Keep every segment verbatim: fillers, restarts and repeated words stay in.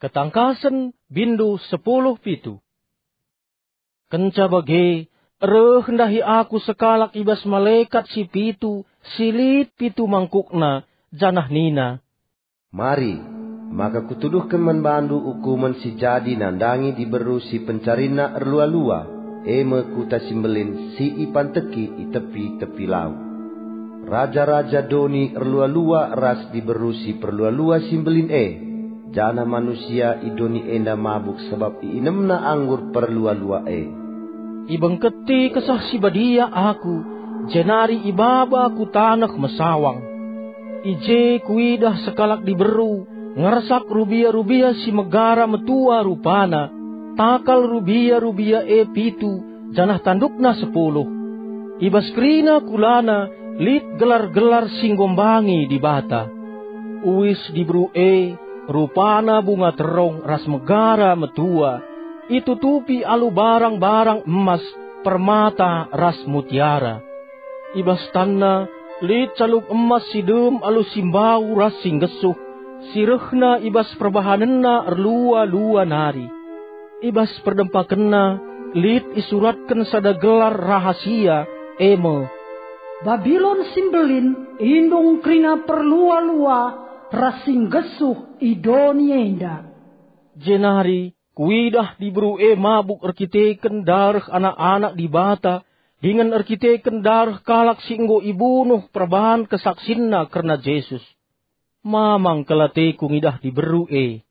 Ketangkasen, bindu sepuluh pitu. Kenca bage, reh ndahi aku sekalak i bas malekat si pitu, si lit pitu mangkukna, janah nina, "Mari, maka kutuduhken man bandu ukumen si jadi nandangi diberu si pencarinna erlua-lua, e me kuta si mbelin si ipanteki i tepi-tepi lau. Raja-raja doni erlua-lua ras diberu si perlua-lua si mbelin e, janah manusia i doni enda mabuk sabap iinemna anggur perlua-lua e." Ibengketi Kesah Si Badia aku, jenari ibaba ku taneh mesawang. I je kuidah sekalak diberu, ngersak rubia-rubia si megara metua rupana, takal rubia-rubia e pitu, janah tandukna sepuluh. I bas kerina kulana lit gelar-gelar si nggombangi Dibata. Uis diberu e, rupana bunga terong ras megara metua, itutupi alu barang-barang emas, permata ras mutiara. I bas tanna lit calung emas si dem alu si mbau ras si nggesuh, si rehna i bas perbahanenna erlua-lua nari. I bas perdempakenna lit isuratken sada gelar rahasia, e me, "Babilon si Mbelin, indung kerina perlua-lua ras si nggesuh i doni enda." Jenari kuidah diberu e mabuk erkiteken dareh anak-anak Dibata dingen erkiteken dareh kalak si enggo ibunuh perbahan kesaksinna kerna Jesus. Mamang kal ateku ngidah diberu e.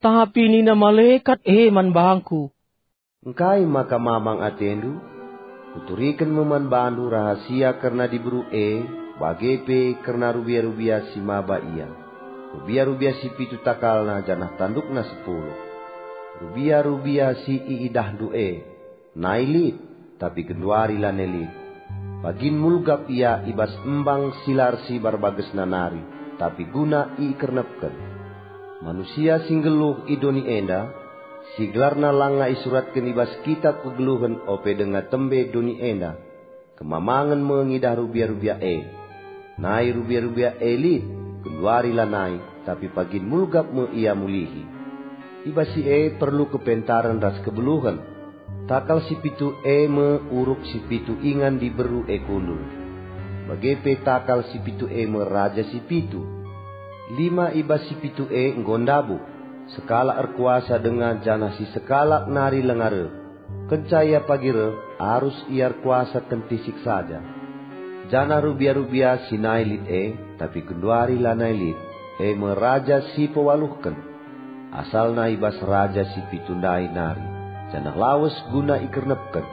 Tapi nina malekat e man bangku, "Engkai maka mamang atendu? Kuturiken me man bandu rahasia kerna diberu e, bage pe kerna rubia-rubia si maba ia. Rubia-rubia si pitu takalna janah tandukna sepuluh. Rubia-rubia si iidahndu e, nai lit, tapi genduari lanai lit. Pagin mulgap ia i bas embang si la ersibar bagesna nari, tapi guna ikernepken. Manusia si nggeluh i doni enda, si gelarna langa isuratken i bas kitap kegeluhen ope denga tembe doni enda, kemamangen me ngidah rubia-rubia e. Nai rubia-rubia e lit, genduari lanai, tapi pagin mulgap me ia mulihi. I bas si e perlu kepentaren ras kebeluhen. Takal si pitu e me uruk si pitu ingan diberu e kundul. Bage pe takal si pitu e me raja si pitu. Lima i bas si pitu e enggo ndabuk, sekalak erkuasa denga janah si sekalak nari langa reh. Kenca ia pagi reh, arus ia erkuasa kentisik saja. Janah rubia-rubia si nai lit e, tapi genduari lanai lit, e me raja si pewaluhken. Asalna i bas raja si pitu ndai nari, janah lawes guna ikernepken.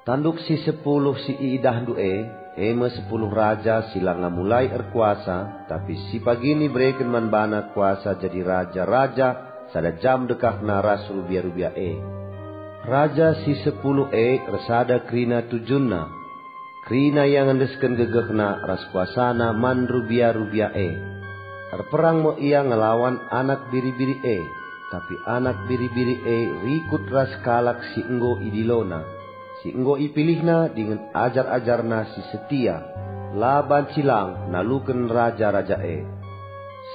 Tanduk si sepuluh si iidahndu e, e me sepuluh raja si langa mulai erkuasa, tapi si pagin ibereken man bana kuasa jadi raja-raja sada jam dekahna ras rubia-rubia e. Raja si sepuluh e ersada kerina tujunna. Kerina ia ngendesken gegehna ras kuasana man rubia-rubia e. Erperang me ia ngelawan anak biri-biri e, tapi anak biri-biri e rikut ras kalak si enggo idilona, si enggo ipilihna dingen ajar-ajarna si setia, la banci lang naluken raja-raja e.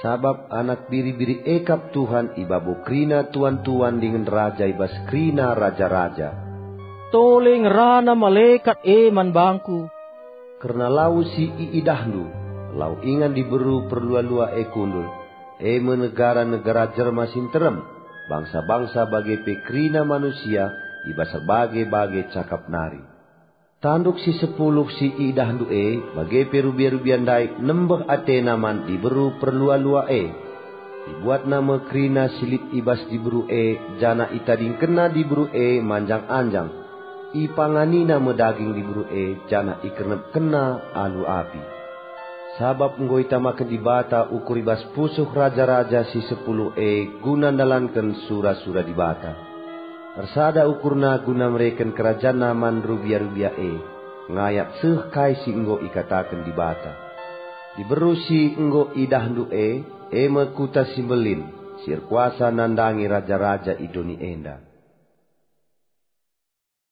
Sabap anak biri-biri e kap Tuhan i babo kerina tuan-tuan dingen raja i bas kerina raja-raja. Tole ngerana malekat e man bangku, "Kerna lau si iidahndu, lau ingan diberu perlua-lua e kundul, e me negara-negara jelma si nterem, bangsa-bangsa bage pe kerina manusia i bas erbage-bage cakap nari." Tanduk si sepuluh si iidahndu e, bage pe rubia-rubia ndai nembeh atena man diberu perlua-lua e. Ibuatna me kerina si lit i bas diberu e, janah itadingkenna diberu e manjang-anjang. Ipanganina me daging diberu e, janah ikernepkenna alu api. Sabap enggo itamaken Dibata ukur i bas pusuh raja-raja si sepuluh e guna ndalanken sura-sura Dibata. Ersada ukurna guna mereken kerajanna man rubia-rubia e, ngayak seh kai si enggo ikataken Dibata. Diberu si enggo idahndu e, e me kuta si mbelin, si erkuasa nandangi raja-raja i doni enda.